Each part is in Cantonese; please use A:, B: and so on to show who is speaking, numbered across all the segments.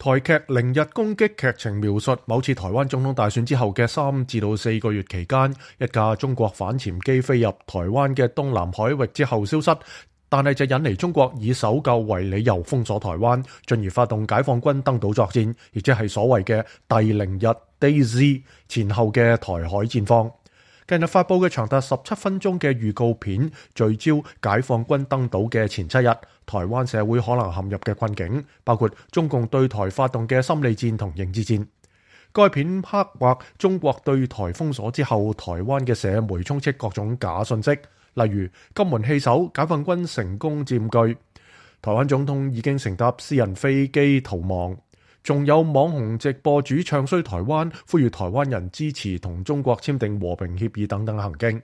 A: 台劇《零日攻擊》劇情描述，某次台灣總統大選之後嘅3至4個月期間，一架中國反潛機飛入台灣嘅東南海域之後消失，但係就引嚟中國以搜救為理由封鎖台灣，進而發動解放軍登島作戰，亦即係所謂嘅第零日 Day Z 前後嘅台海戰況。近日發佈嘅長達17分鐘嘅預告片，聚焦解放軍登島嘅前7日，台灣社會可能陷入嘅困境，包括中共對台發動嘅心理戰同認知戰。該片刻畫中國對台封鎖之後，台灣嘅社媒充斥各種假信息，例如金門棄守，解放軍成功佔據，台灣總統已經乘搭私人飛機逃亡。仲有網紅直播主唱衰台灣，呼籲台灣人支持同中國簽訂和平協議等等行徑。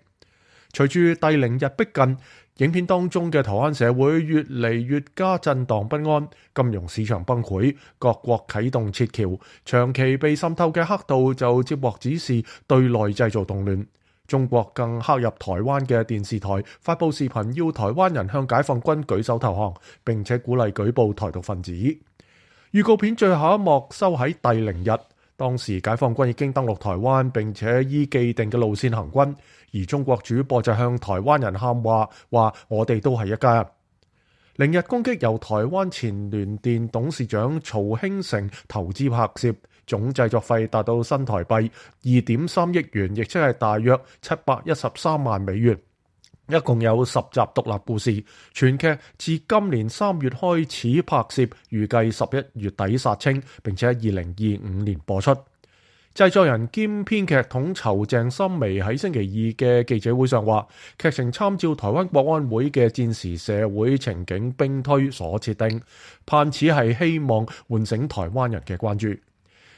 A: 隨住第零日逼近，影片當中嘅台灣社會越嚟越加震盪不安，金融市場崩潰，各國啟動撤僑，長期被滲透嘅黑道就接獲指示對內製造動亂。中國更黑入台灣嘅電視台，發布視頻要台灣人向解放軍舉手投降，並且鼓勵舉報台獨分子。預告片最後一幕收喺第零日，當時解放軍已經登陸台灣，並且依既定嘅路線行軍，而中國主播就向台灣人喊話我哋都係一家人。零日攻擊由台灣前聯電董事長曹興誠投資拍攝，總製作費達到新台幣2.3億元，亦即係大約713萬美元。一共有10集獨立故事，全劇自今年3月開始拍攝，預計11月底殺青，並且喺2025年播出。製作人兼編劇統籌鄭心薇喺星期二嘅記者會上話，劇情參照台灣國安會嘅戰時社會情景兵推所設定，盼此係希望喚醒台灣人嘅關注。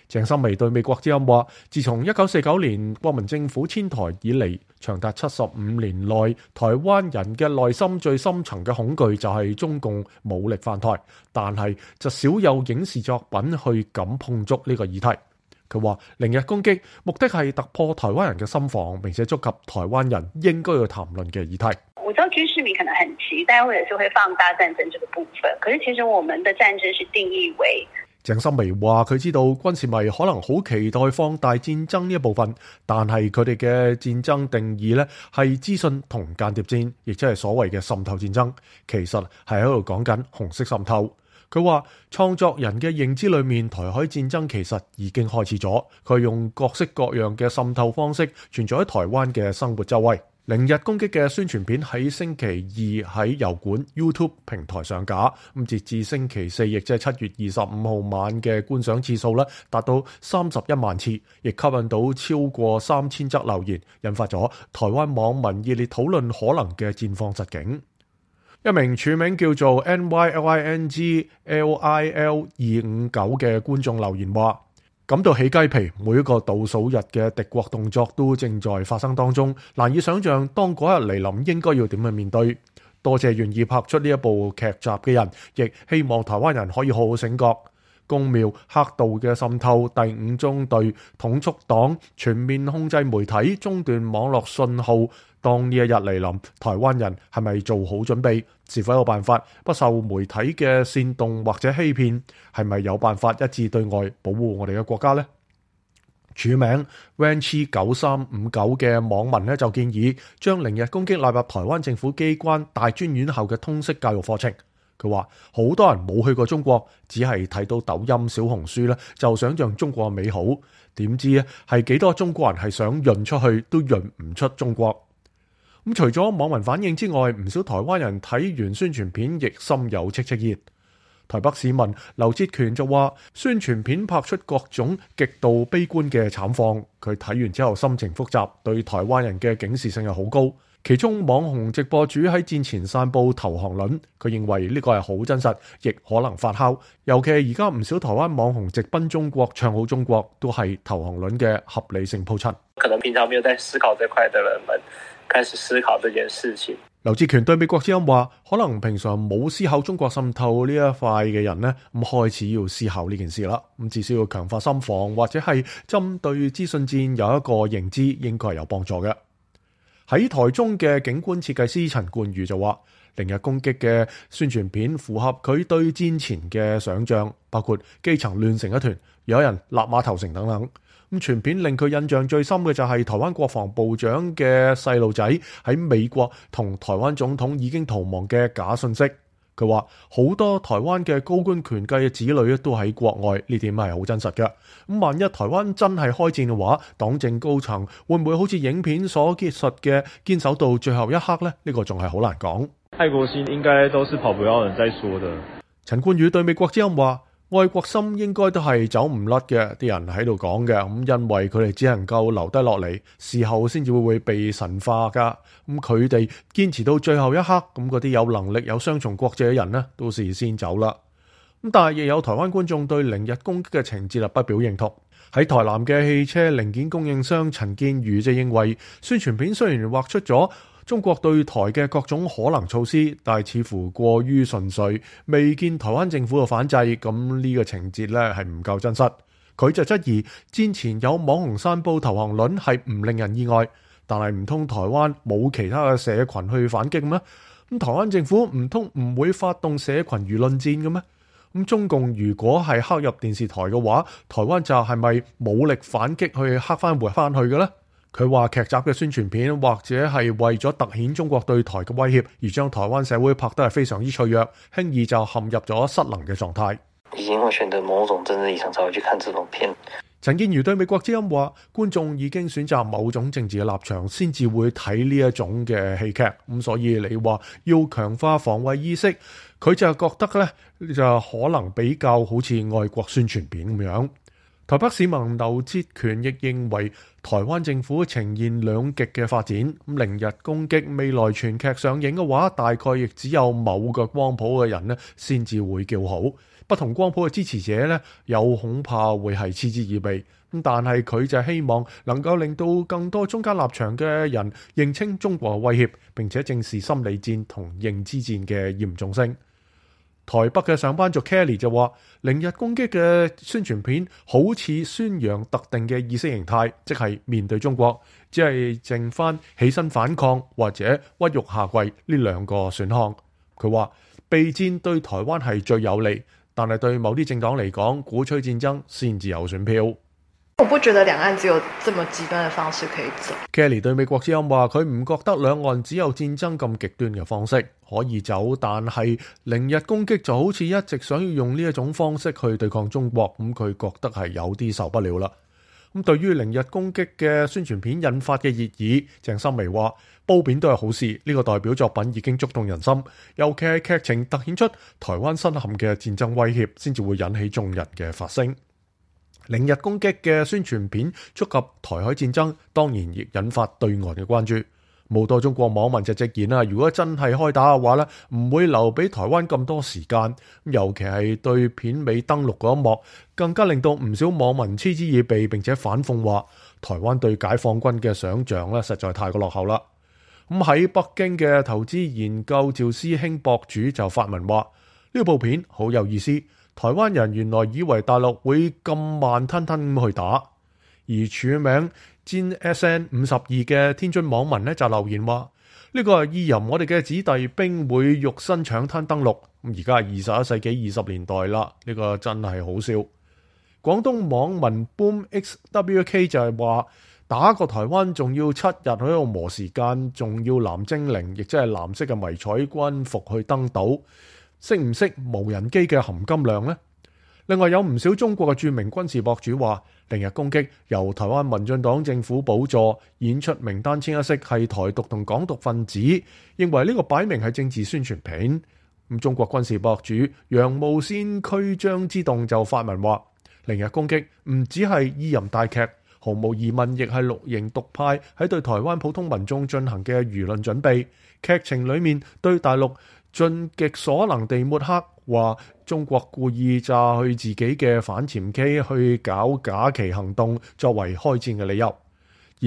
A: 鄭心薇對美國之音話，自從1949年國民政府遷台以嚟，長達75年內，台灣人嘅內心最深層嘅恐懼就係中共武力犯台，但係就少有影視作品去敢碰觸呢個議題。佢話零日攻擊目的係突破台灣人嘅心防，並且觸及台灣人應該要談論嘅議題。
B: 我知道軍事迷可能很期待，或者是會放大戰爭這個部分，可是其實我們的戰爭是定義為。
A: 鄭心薇話佢知道軍事迷可能好期待放大戰爭呢一部分，但係佢哋嘅戰爭定義呢係資訊同間諜戰，亦即係所謂嘅滲透戰爭，其實係喺度講緊紅色滲透。佢話創作人嘅認知裏面，台海戰爭其實已經開始咗，佢用各式各樣嘅滲透方式存在喺台灣嘅生活周圍。零日攻擊嘅宣傳片喺星期二喺油管 YouTube 平台上架，咁截至星期四，亦即係7月25號晚嘅觀賞次數咧，達到31萬次，亦吸引到超過3000則留言，引發咗台灣網民熱烈討論可能嘅戰況實境。一名署名叫做 NYLINGLIL259嘅觀眾留言話，感到起雞皮，每一個倒數日嘅敵國動作都正在發生當中，難以想象當嗰日嚟臨應該要點去面對。多謝願意拍出呢一部劇集嘅人，亦希望台灣人可以好好醒覺。公廟黑道嘅滲透，第5中隊統促黨全面控制媒體，中斷網絡信號。當呢一日嚟臨，台灣人係咪做好準備？是否有辦法不受媒體嘅煽動或者欺騙？係咪有辦法一致對外保護我哋嘅國家呢？署名 Ranchi9359 嘅網民就建議將零日攻擊納入台灣政府機關大專院校嘅通識教育課程。佢話好多人冇去過中國，只係睇到抖音、小紅書咧，就想象中國美好，點知係幾多中國人係想潤出去都潤唔出中國。咁除咗網民反應之外，唔少台灣人睇完宣傳片亦心有戚戚焉。台北市民劉哲權就話，宣傳片拍出各種極度悲觀嘅慘況，佢睇完之後心情複雜，對台灣人嘅警示性係好高。其中網紅直播主喺戰前散佈投降論，佢認為呢個係好真實，亦可能發酵。尤其係而家唔少台灣網紅直奔中國，唱好中國，都係投降論嘅合理性鋪陳。
C: 可能平常沒有在思考這塊的人們開始思考這件事情。
A: 劉志權對美國之音話，可能平常冇思考中國滲透呢一塊嘅人呢，咁開始要思考呢件事啦。咁至少要強化心防，或者係針對資訊戰有一個認知，應該係有幫助嘅。喺台中嘅景觀設計師陳冠宇就話，連日攻擊嘅宣傳片符合佢對戰前嘅想像，包括基層亂成一團，有人立馬投誠等等。咁全片令佢印象最深嘅就係台灣國防部長嘅細路仔喺美國同台灣總統已經逃亡嘅假信息。佢話好多台灣嘅高官權貴嘅子女都喺國外，呢點係好真實嘅。咁萬一台灣真係開戰嘅話，黨政高層會唔會好似影片所結述嘅堅守到最後一刻呢？呢個仲係好難講。
D: 愛國心應該都是跑不了人在說的。
A: 陳冠宇對美國之音話：愛國心應該都係走唔甩嘅，啲人喺度講嘅，咁因為佢哋只能夠留低落嚟，事後先至會被神化噶。咁佢哋堅持到最後一刻，咁嗰啲有能力有雙重國籍嘅人呢，都事先走啦。咁但係亦有台灣觀眾對零日攻擊嘅情節不表認同。喺台南嘅汽車零件供應商陳建宇就認為，宣傳片雖然畫出咗中國對台嘅各種可能措施，但係似乎過於純粹，未見台灣政府嘅反制，咁呢個情節呢係唔夠真實。佢就質疑戰前有網紅散佈投降論係唔令人意外，但係唔通台灣冇其他嘅社群去反擊咩？咁台灣政府唔通唔會發動社群輿論戰嘅咩？咁中共如果係黑入電視台嘅話，台灣就係咪武力反擊去黑翻回翻去嘅呢？佢話劇集嘅宣傳片或者係為咗突顯中國對台嘅威脅，而將台灣社會拍得係非常之脆弱，輕易就陷入咗失能嘅狀態。
C: 已經會選擇某種政治立場才會去看這種片。
A: 陳建瑜對美國之音話：觀眾已經選擇某種政治嘅立場，先至會睇呢一種嘅戲劇。咁所以你話要強化防衛意識，佢就覺得呢就可能比較好似愛國宣傳片咁樣。台北市民劉哲權亦認為台灣政府呈現兩極嘅發展。咁零日攻擊未來全劇上映嘅話，大概亦只有某個光譜嘅人呢先至會叫好。不同光譜嘅支持者呢，有恐怕會係嗤之以鼻。咁但係佢就希望能夠令到更多中間立場嘅人認清中國嘅威脅，並且正視心理戰同認知戰嘅嚴重性。台北嘅上班族 Kelly 就話：零日攻擊嘅宣傳片好似宣揚特定嘅意識形態，即係面對中國，只係剩翻起身反抗或者屈辱下跪呢兩個選項。佢話備戰對台灣係最有利，但係對某啲政黨嚟講，鼓吹戰爭先至有選票。
E: 我不覺得兩岸只有這麼極端嘅方式可以走。
A: Kelly 對美國之音話：佢唔覺得兩岸只有戰爭咁極端嘅方式可以走，但係零日攻擊就好似一直想要用呢一種方式去對抗中國，咁佢覺得係有啲受不了啦。咁對於零日攻擊嘅宣傳片引發嘅熱議，鄭心薇話：褒貶都係好事，呢個代表作品已經觸動人心，尤其係劇情突顯出台灣身陷嘅戰爭威脅，先至會引起眾人嘅發聲。零日攻擊嘅宣傳片觸及台海戰爭，當然亦引發對岸嘅關注。好多中國網民就直言啦，如果真係開打嘅話呢，唔會留俾台灣咁多時間。尤其係對片尾登陸嗰一幕，更加令到唔少網民嗤之以鼻，並且反諷話台灣對解放軍嘅想像呢，實在太過落後啦。咁喺北京嘅投資研究趙師兄博主就發文話：呢部片好有意思。台灣人原來以為大陸會咁慢吞吞咁去打，而署名戰 SN52嘅天津網民呢就留言話：呢個係意淫我哋嘅子弟兵會肉身搶灘登陸。而家係21世紀20年代啦，呢個真係好笑。廣東網民 BoomXWK 就係話：打個台灣仲要7日喺度磨時間，仲要藍精靈，亦即係藍色嘅迷彩軍服去登島。識唔識無人機嘅含金量呢？另外有唔少中國嘅著名軍事博主話，零日攻擊由台灣民進黨政府補助演出名單清一色係台獨同港獨分子，認為呢個擺明係政治宣傳片。咁中國軍事博主洋務先驅張之洞就發文話，零日攻擊唔只係意淫大劇，毫無疑問亦係綠營獨派喺對台灣普通民眾進行嘅輿論準備。劇情裏面對大陸盡極所能地抹黑，話中國故意炸去自己嘅反潛機去搞假旗行動，作為開戰嘅理由。而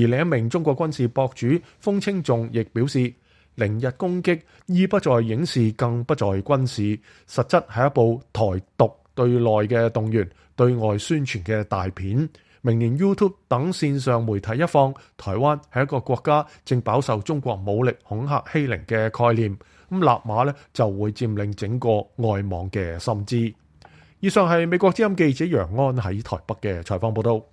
A: 另一名中國軍事博主風清仲亦表示，零日攻擊意不在影視，更不在軍事，實質係一部台獨對內嘅動員、對外宣傳嘅大片。明年 YouTube 等線上媒體一放，台灣係一個國家正飽受中國武力恐嚇欺凌嘅概念。咁納馬呢就會佔領整個外網嘅心知。以上係美國之音記者楊安喺台北嘅採訪報道。